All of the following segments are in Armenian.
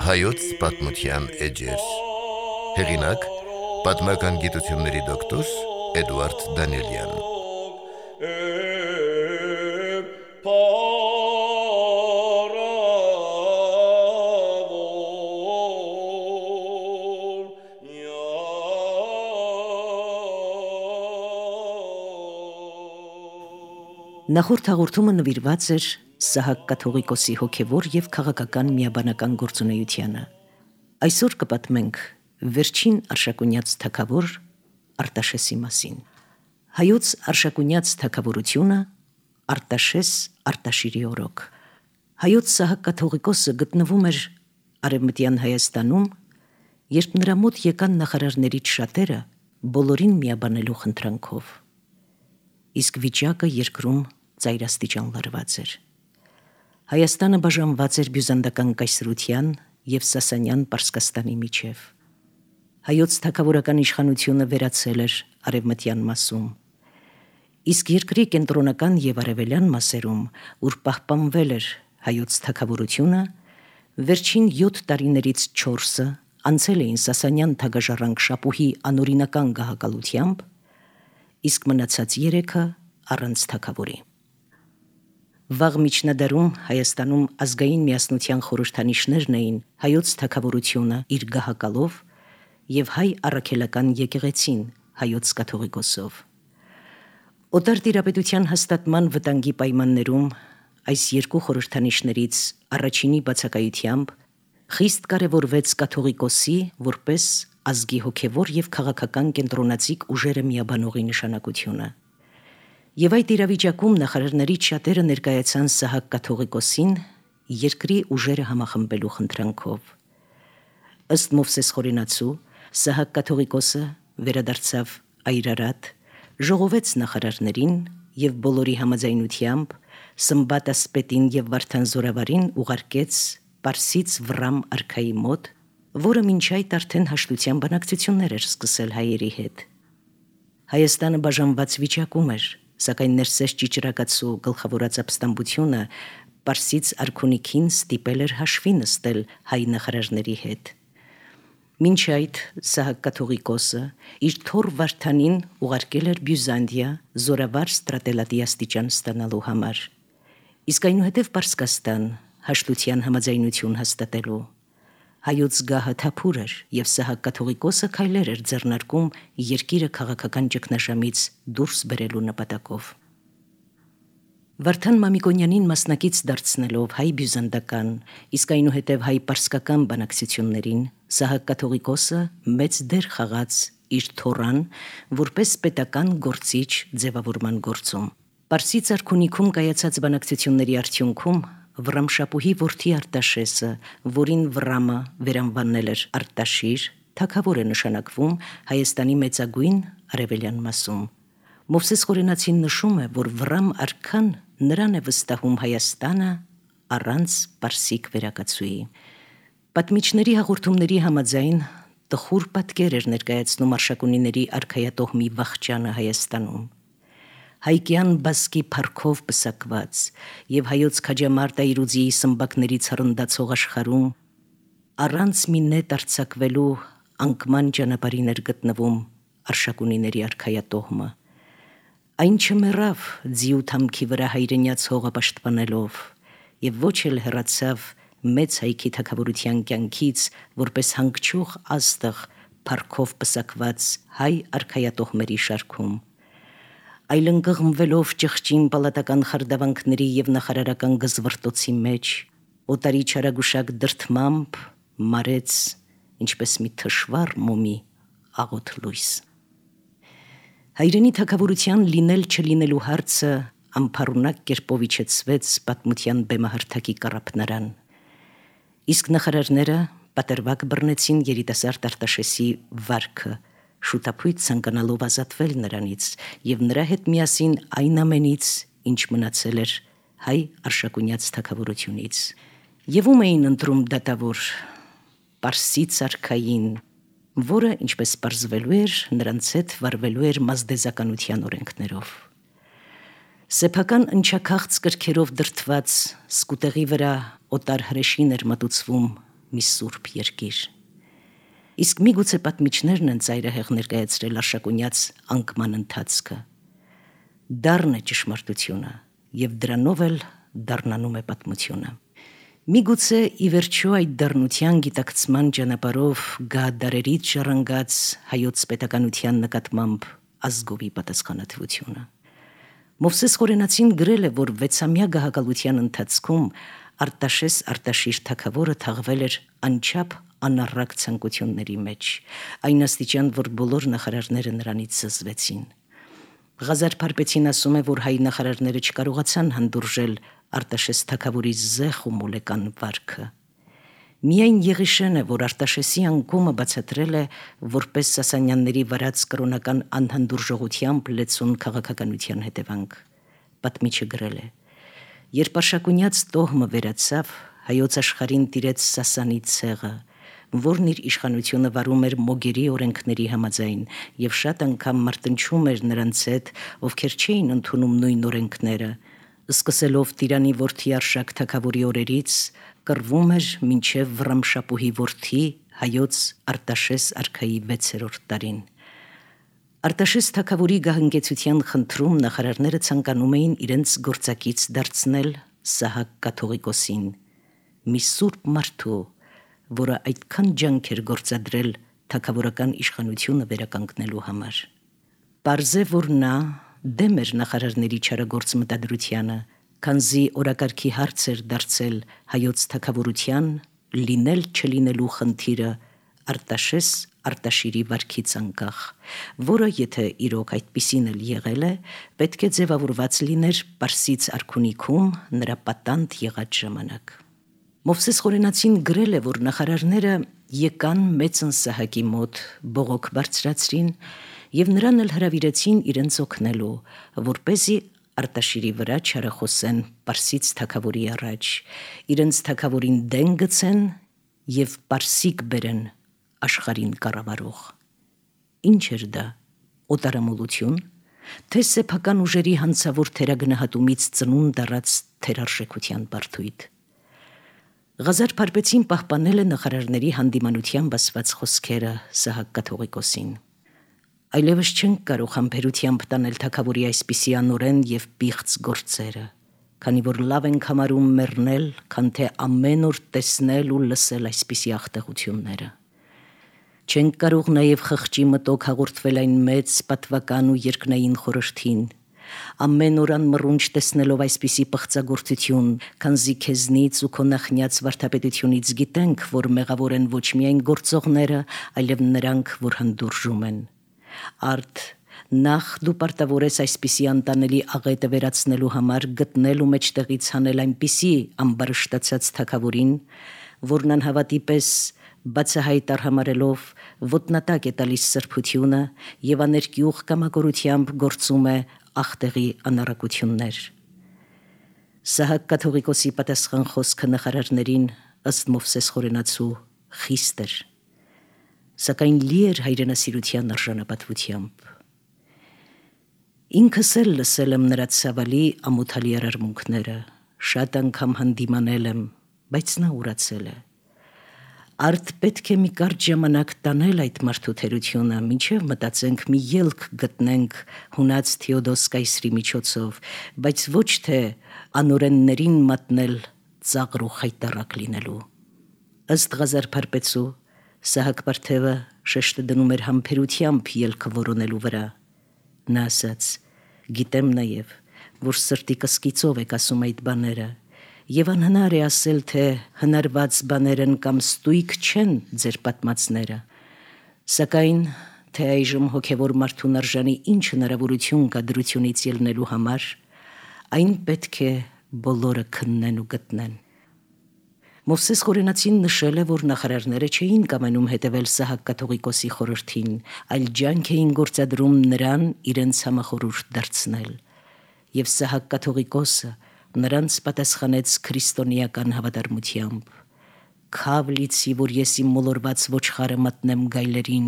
Հայոց պատմության էջեր։ Հեղինակ՝ պատմական գիտությունների դոկտոր Էդուարդ Դանիելյան։ Նախորդ հաղորդումը նվիրված էր Սահակ կաթողիկոսի հոգևոր և քաղաքական միաբանական գործունեությանը։ Այսօր կպատմենք վերջին արշակունյաց թագավոր Արտաշեսի մասին։ Հայոց արշակունյաց թագավորությունը Արտաշես Արտաշիրի օրոք։ Հայոց Սահակ կաթողիկոսը գտնվում էր Արևմտյան Հայաստանում, երբ նրա մոտ եկան նախարարներից շատերը բոլորին միաբանելու խնդրանքով։ Իսկ վիճակը երկրում ծայրաստիճան լարված էր։ Հայաստանը բաժանված էր բյուզանդական կայսրության և Սասանյան Պարսկաստանի միջև։ Հայոց թագավորական իշխանությունը վերացել էր արևմտյան մասում, իսկ երկրի կենտրոնական և արևելյան մասերում, ուր պահպանվել էր հայոց թագավորությունը, վերջին 7 տարիներից 4-ը անցել էին Սասանյան թագաժառանգ Շապուհի անօրինական գահակալությամբ, իսկ մնացած 3-ը առանց թագավորի։ Վաղ միջնադարում Հայաստանում ազգային միասնության խորհրդանիշներն էին հայոց թագավորությունը իր գահակալով և հայ առաքելական եկեղեցին հայոց կաթողիկոսով։ Օտար տիրապետության հաստատման վտանգի պայմաններում այս երկու խորհրդանիշներից առաջինի բացակայությամբ խիստ կարևորվեց կաթողիկոսի որպես ազգի հոգևոր և քաղաքական կենտրոնացիկ ուժերը միաբանողի նշանակությունը։ Եվ այդ իրավիճակում նախարարներից շատերը ներկայացան Սահակ կաթողիկոսին երկրի ուժերը համախմբելու խնդրանքով։ Ըստ Մովսես Խորենացու, Սահակ կաթողիկոսը վերադարձավ Այրարատ, ժողովեց նախարարներին և բոլորի համաձայնությամբ Սմբատ ասպետին և Վարդան Զորավարին ուղարկեց Պարսից Վռամ արքայի մոտ, որը մինչ այդ արդեն հաշտության բանակցություններ էր սկսել հայերի հետ։ Հայաստանը բաժանված վիճակում էր, սակայն ներսես ճիճրակացու գլխավորած ապստամբությունը Պարսից արքունիքին ստիպել էր հաշվի նստել հայ նախարարների հետ։ Մինչ այդ Սահակ կաթողիկոսը իր թոռ Վարդանին ուղարկել էր Բյուզանդիա զորավար ստրատելատի աստիճան ստանալու համար, իսկ այնուհետև Պարսկաստան հաշտության համաձայնություն հաստատելու։ Հայոց գահը թափուր էր, և Սահակ կաթողիկոսը քայլեր էր ձեռնարկում երկիրը քաղաքական ճգնաժամից դուրս բերելու նպատակով։ Վարդան Մամիկոնյանին մասնակից դարձնելով հայ բյուզանդական, իսկ այնուհետև հայ պարսկական բանակցություններին, Սահակ կաթողիկոսը մեծ դեր խաղաց իր թոռան որպես պետական գործիչ ձևավորման գործում։ Պարսից արքունիքում կայացած բանակցությունների արդյունքում Վռամշապուհի որդի Արտաշեսը, որին Վռամը վերանվանել էր Արտաշիր, թագավոր է նշանակվում Հայաստանի մեծագույն արևելյան մասում։ Մովսես Խորենացին նշում է, որ Վռամ արքան նրան է վստահում Հայաստանը առանց պարսիկ վերակացուի։ Պատմիչների հաղորդումների համաձայն տխուր պատկեր էր ներկայացնում Արշակունիների արքայատոհմի վախճանը Հայաստանում։ Հայկյան բասկի փառքով պսակված և հայոց քաջամարտ Այրուձիի սմբակներից հռնդացող աշխարհում առանց մի նետ արձակվելու անկման ճանապարհին էր գտնվում Արշակունիների արքայատոհմը։ Այն չմեռավ ձիու թամքի վրա հայրենյաց հողը պաշտպանելով և ոչ էլ հեռացավ մեծ հայքի թագավորության կյանքից որպես հանգչող աստղ փառքով պսակված հայ արքայատոհմերի շարքում, այլ ընկղմվելով ճղճին պալատական խարդավանքների և նախարարական գզվռտոցի մեջ, օտարի չարագուշակ դրդմամբ մարեց ինչպես մի թշվառ մոմի աղոտ լույս։ Հայրենի թագավորության լինել-չլինելու հարցը անփառունակ կերպով իջեցվեց պատմության բեմահարթակի կառափնարան, իսկ նախարարները պատրվակ բռնեցին երիտասարդ Արտաշեսի վարքը, շուտափույթ ցանկանալով ազատվել նրանից և նրա հետ միասին այն ամենից, ինչ մնացել էր հայ արշակունյաց թագավորությունից։ Եվ ում էին ընտրում դատավոր Պարսից արքային, որը, ինչպես պարզվելու էր, նրանց հետ վարվելու էր մազդեզականության օրենքներով։ Սեփական ընչաքաղց կրքերով դրդված սկուտեղի վրա օտար հրեշին էր մատուցվում մի սուրբ երկիր։ Իսկ միգուցե պատմիչներն են ծայրահեղ ներկայացրել Արշակունյաց անկման ընթացքը։ Դառն է ճշմարտությունը, եւ դրանով էլ դառնանում է պատմությունը։ Միգուցե ի վերջո այդ դառնության գիտակցման ճանապարհով գա դարերից ժառանգած հայոց պետականության նկատմամբ ազգովի պատասխանատվությունը։ Մովսես Խորենացին գրել է, որ 6-ամյա գահակալության ընթացքում Արտաշես Արտաշիր թագավորը թաղվել էր անչափ անառակ ցանկությունների մեջ, այն աստիճան, որ բոլոր նախարարները նրանից զզվեցին։ Ղազար Փարպեցին ասում է, որ հայ նախարարները չկարողացան հանդուրժել Արտաշես թագավորի զեղ ու մոլեկան վարքը։ Միայն Եղիշեն է, որ Արտաշեսի անկումը բացատրել է որպես Սասանյանների վարած կրոնական անհանդուրժողությամբ լեցուն քաղաքականության հետևանք։ Պատմիչը գրել է. երբ Արշակունյաց տոհմը վերացավ, հայոց աշխարհին տիրեց Սասանի ցեղը, որն իր իշխանությունը վարում էր մոգերի օրենքների համաձայն եւ շատ անգամ մարտնչում էր նրանց հետ, ովքեր չէին ընդունում նույն օրենքները, սկսելով Տիրանի որդի Արշակ թագավորի օրերից, կռվում էր մինչև Վռամշապուհի որդի հայոց Արտաշես արքայի 6-րդ տարին։ Արտաշես թագավորի գահընկեցության խնդրում նախարարները ցանկանում էին իրենց գործակից դարձնել Սահակ կաթողիկոսին, մի սուրբ մարդու, որը այդքան ջանք էր գործադրել թագավորական իշխանությունը վերականգնելու համար։ Պարզ է, որ նա դեմ էր նախարարների չարագործ մտադրությանը, քանզի օրակարգի հարց էր դարձել հայոց թագավորության լինել չլինելու խնդիրը Արտաշես Արտաշիրի վարքից անկախ, որը եթե իրոք այդպիսին էլ եղել է, պետք է ձևավորված լիներ Պարսից արքունիքում նրա պատանդ եղած ժամանակ։ Մովսես Խորենացին գրել է, որ նախարարները եկան մեծն Սահակի մոտ, բողոք բարձրացրին եւ նրան էլ հրավիրեցին իրենց օգնելու, որպեսզի Արտաշիրի վրա չարախոսեն Պարսից թագավորի առաջ, իրենց թագավորին դեն գցեն եւ Պարսիկ բերեն աշխարհին կառավարող։ Ինչ էր դա, օտարամոլություն, թե սեփական ուժերի հանցավոր թերագնահատումից ծնունդ առած թերարժեքության բարդույթ։ Ղազար Փարպեցին պահպանել է նախարարների հանդիմանությամբ ասված խոսքերը Սահակ կաթողիկոսին։ Այլևս չենք կարող համբերությամբ տանել թագավորի այսպիսի անօրեն եւ պիղծ գործերը, քանի որ լավ ենք համարում մեռնել, քան թե ամեն օր տեսնել ու լսել այսպիսի աղտեղությունները։ Չենք կարող նաև խղճի մտոք հաղորդվել այն մեծ պատվական ու երկնային խորհրդին, ամեն օր անմռունչ տեսնելով այսպիսի պղծագործություն, քանզի քեզնից ու քո նախնյաց վարդապետությունից գիտենք, որ մեղավոր են ոչ միայն գործողները, այլև նրանք, որ հանդուրժում են։ Արդ նախ դու պարտավոր ես այսպիսի անտանելի աղետը վերացնելու համար գտնել ու մեջտեղից հանել այնպիսի ամբարշտացած թագավորին, որն անհավատի պես բացահայտ արհամարելով ոտնատակ է տալիս սրբությունը եւ աներկյուղ կամակորությամբ գործում է աղտեղի անառակություններ։ Սահակ կաթողիկոսի պատասխան խոսքը նախարարներին ըստ Մովսես Խորենացու խիստ էր, սակայն լի էր հայրենասիրության արժանապատվությամբ։ Ինքս էլ լսել եմ նրա ցավալի ամոթալի արարմունքները, շատ անգամ հանդիմանել եմ, բայց նա ուրացել է։ Արդ պետք է մի կարճ ժամանակ տանել այդ մարդու թերությունը, մինչև մտածենք մի ելք գտնենք հունած Թեոդոս կայսրի միջոցով, բայց ոչ թե անօրեններին մատնել ծաղր ու խայտառակ լինելու։ Ըստ Ղազար Փարպեցու, Սահակ Պարթևը շեշտը դնում էր համբերությամբ ելքը որոնելու վրա։ Նա ասաց. «Գիտեմ նաև, որ սրտի կսկիծով եք ասում այդ բաները, եւ անհնար է ասել, թե հնարված բաներ են կամ ստույգ չեն ձեր պատմածները, սակայն թե այժմ հոգևոր մարդուն արժանի ինչ հնարավորություն կա դրությունից ելնելու համար, այն պետք է բոլորը քննեն ու գտնեն»։ Մովսես Խորենացին նշել է, որ նախարարները չէին կամենում հետևել Սահակ կաթողիկոսի խորհրդին, այլ ջանք էին գործադրում նրան իրենց համախորհուրդ դարձնել, եւ Սահակ կաթողիկոսը նրանց պատասխանեց քրիստոնեական հավատարմությամբ. «Քավ լիցի, որ ես իմ մոլորված ոչխարը մտնեմ գայլերին,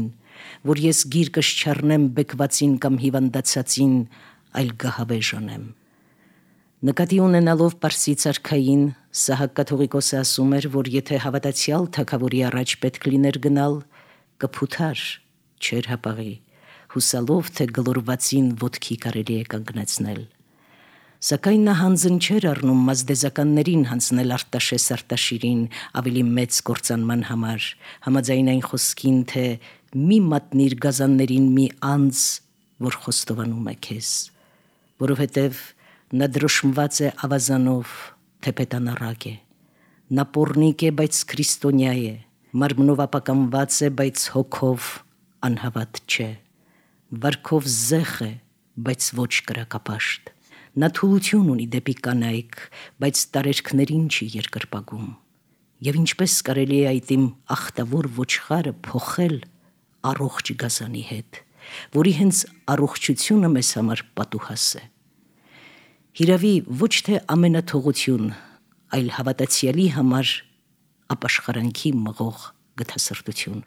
որ ես գիրկս չառնեմ բեկվածին կամ հիվանդացածին, այլ գահավեժ անեմ»։ Նկատի ունենալով Պարսից արքային, Սահակ կաթողիկոսը ասում էր, որ եթե հավատացյալ թագավորի առաջ պետք լիներ գնալ, կփութար, չեր հապաղի, հուսալով, թե գլորվածին ոտքի կարելի է կանգնեցնել։ Սակայն նա հանձն չէր առնում մազդեզականներին հանձնել Արտաշես Արտաշիրին ավելի մեծ կործանման համար, համաձայն այն խոսքին, թե մի մատնիր գազաններին մի անձ, որ խոստովանում է քեզ, որովհետև նա դրոշմված է ավազանով, թեպետանառակ է, նա պոռնիկ է, բայց քրիստոնյա է, մարմնով ապականված է, բայց հոգով անհավատ չէ, վարքով զեղ է, բայց ոչ կրակապաշտ, նա թուլություն ունի դեպի կանայք, բայց տարերքներին չի երկրպագում, և ինչպես կարելի է այդ իմ ախտավոր ոչխարը փոխել առողջ գազանի հետ, որի հենց առողջությունը մեզ համար պատուհաս է։ Հիրավի ոչ թե ամենաթողություն, այլ հավատացյալի համար ապաշխարանքի մղող գթասրտություն։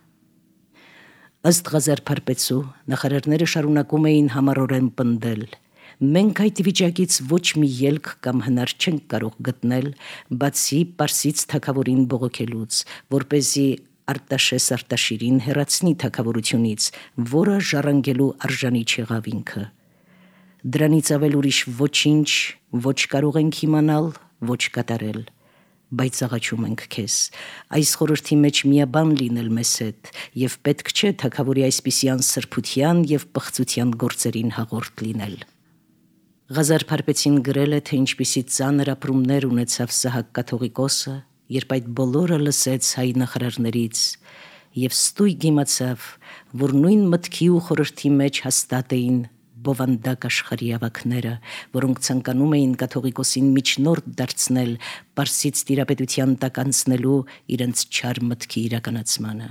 Ըստ Ղազար Փարպեցու նախարարները շարունակում էին համառորեն պնդել. մենք այդ վիճակից ոչ մի ելք կամ հնար չենք կարող գտնել, բացի Պարսից թագավորին բողոքելուց, որպեսզի Արտաշես Արտաշիրին հեռացնի թագավորությունից, որը ժառանգելու արժանի չեղավ ինքը։ Դրանից ավել ուրիշ ոչինչ ոչ կարող ենք իմանալ, ոչ կատարել, բայց աղաչում ենք քեզ, այս խորհրդի մեջ միաբան լինել մեզ հետ, և պետք չէ թագավորի այսպիսյան սրբության և պղծության գործերին հաղորդ լինել։ Ղազար Փարպեցին գրել է, թե ինչպիսի ծանր ապրումներ ունեցավ Սահակ կաթողիկոսը, երբ այդ բոլորը լսեց հայ նախարարներից, և ստույգ իմացավ, որ նույն մտքի ու խորհրդի մեջ հաստատ էին բովանդակ աշխարհի ավագները, որոնք ցանկանում էին կաթողիկոսին միջնորդ դարձնել Պարսից տիրապետության տակ անցնելու իրենց չար մտքի իրականացմանը։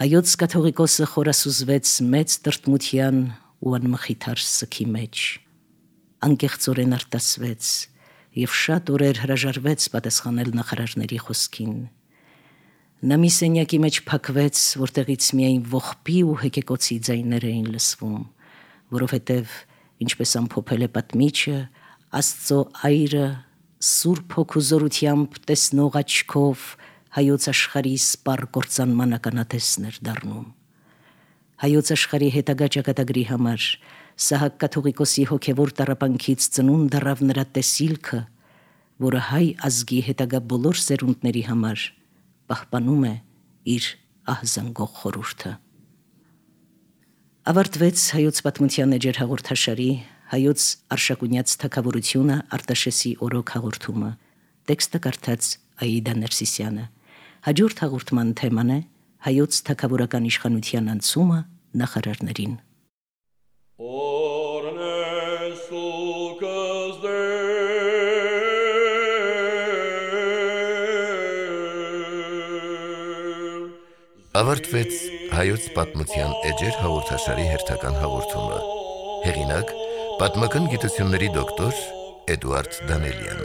Հայոց կաթողիկոսը խորասուզվեց մեծ տրտմության ու անմխիթար սգի մեջ, անկեղծորեն արտասվեց և շատ օրեր հրաժարվեց պատասխանել նախարարների խոսքին։ Նա մի սենյակի մեջ փակվեց, որտեղից միայն ողբի ու հեկեկոցի ձայներ էին լսվում, որովհետև, ինչպես ամփոփել է պատմիչը, Աստծո այրը սուրբ հոգու զորությամբ տեսնող աչքով հայոց աշխարհի սպառ կործանման ականատեսն էր դառնում։ Հայոց աշխարհի հետագա ճակատագրի համար Սահակ կաթողիկոսի հոգևոր տառապանքից ծնունդ առավ նրա տեսիլքը, որը հայ ազգի հետագա բոլոր սերունդների համար պահպանում է իր ահզանգող խորհուրդը։ Ավարտվեց հայոց պատմության էջեր հաղորդաշարի հայոց Արշակունյաց թագավորությունը Արտաշեսի օրոք հաղորդումը։ Տեքստը կարդաց Աիդա Ներսիսյանը։ Հաջորդ հաղորդման թեման է հայոց թագավորական իշխանության անցումը նախարարներին։ Ավարտվեց հայոց պատմության էջեր հաղորդաշարի հերթական հաղորդումը։ Հեղինակ՝ պատմական գիտությունների դոկտոր Էդուարդ Դանելյան։